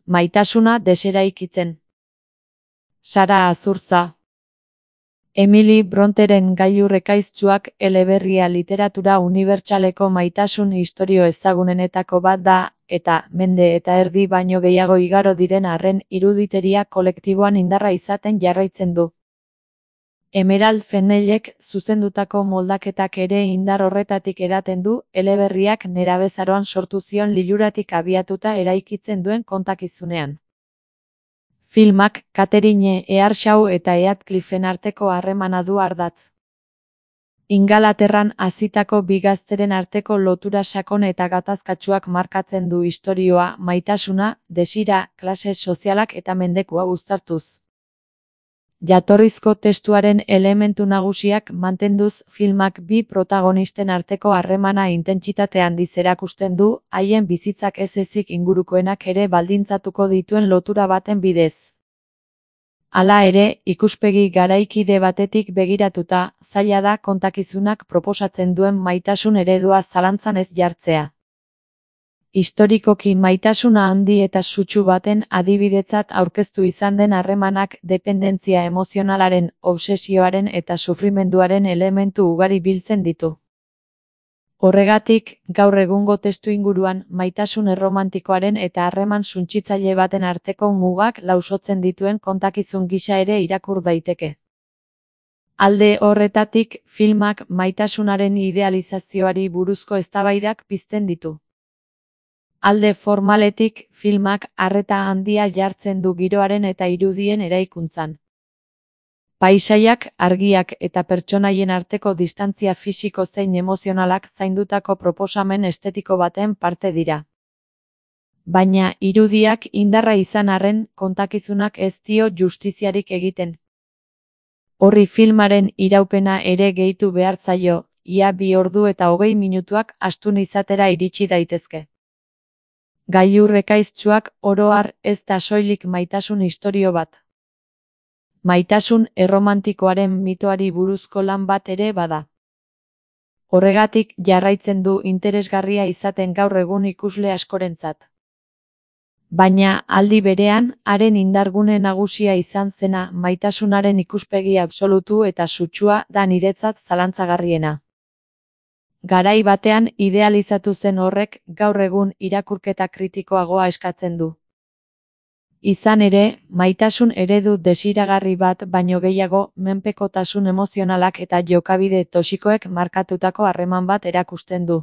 Maitasuna deseraikitzen. Sara Azurtza. Emily Bronteren Gailur ekaiztsuak eleberria literatura unibertsaleko maitasun istorio ezagunenetako bat da, eta mende eta erdi baino gehiago igaro diren arren iruditeria kolektiboan indarra izaten jarraitzen du. Emerald Fennellek zuzendutako moldaketak ere indar horretatik edaten du, eleberriak nerabezaroan sortu zion liluratik abiatuta eraikitzen duen kontakizunean. Filmak Catherine Earshaw eta Heathcliffen arteko harremana du ardatz. Ingalaterran hazitako bi gazteren arteko lotura sakon eta gatazkatsuak markatzen du istorioa, maitasuna, desira, klase sozialak eta mendekua uztartuz. Jatorrizko testuaren elementu nagusiak mantenduz, filmak bi protagonisten arteko harremana intentsitate handiz erakusten du, haien bizitzak ez ezik ingurukoenak ere baldintzatuko dituen lotura baten bidez. Hala ere, ikuspegi garaikide batetik begiratuta, zaila da kontakizunak proposatzen duen maitasun eredua zalantzan ez jartzea. Historikoki maitasuna handi eta sutsu baten adibidetzat aurkeztu izan den harremanak dependentzia emozionalaren, obsesioaren eta sufrimenduaren elementu ugari biltzen ditu. Horregatik, gaur egungo testuinguruan maitasun erromantikoaren eta harreman suntsitzaile baten arteko mugak lausotzen dituen kontakizun gisa ere irakur daiteke. Alde horretatik, filmak maitasunaren idealizazioari buruzko eztabaidak pizten ditu. Alde formaletik, filmak arreta handia jartzen du giroaren eta irudien eraikuntzan. Paisaiak, argiak eta pertsonaien arteko distantzia fisiko zein emozionalak zaindutako proposamen estetiko baten parte dira. Baina irudiak indarra izan arren, kontakizunak ez dio justiziarik egiten. Horri filmaren iraupena ere gehitu behar zaio, ia 2 ordu eta 20 minutuak astun izatera iritsi daitezke. Gailur ekaiztsuak oro har ez da soilik maitasun istorio bat. Maitasun erromantikoaren mitoari buruzko lan bat ere bada. Horregatik jarraitzen du interesgarria izaten gaur egun ikusle askorentzat. Baina, aldi berean, haren indargune nagusia izan zena maitasunaren ikuspegi absolutu eta sutsua da niretzat zalantzagarriena. Garai batean idealizatu zen horrek gaur egun irakurketa kritikoagoa eskatzen du. Izan ere, maitasun eredu desiragarri bat baino gehiago menpekotasun emozionalak eta jokabide toxikoek markatutako harreman bat erakusten du.